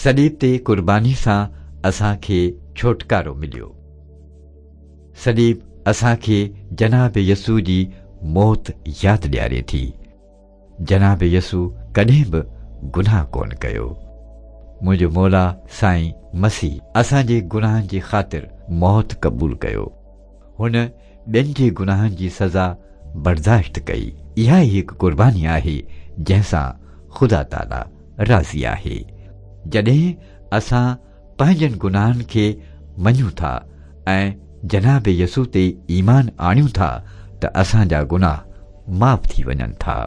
صليب تي قرباني سان اسان کي ڇوٽڪارو مليو. صليب اسان کي جناب يسوع جي موت ياد ڏياري ٿي. جناب يسوع ڪڏهن به گناهه ڪونه ڪيو. منهنجو مولا سائين مسيح اسان جي گناهن جي خاطر موت قبول ڪيو. هن ٻين جي گناهن جي سزا برداشت ڪئي. اها ئي هڪ قرباني آهي جنهن سان خدا تعاليٰ راضي آهي. جڏهن اسان پنهنجن گناهن کي مڃون ٿا ۽ جناب يسوع تي ايمان آڻيون ٿا ته اسان جا گناهه معاف ٿي وڃن ٿا.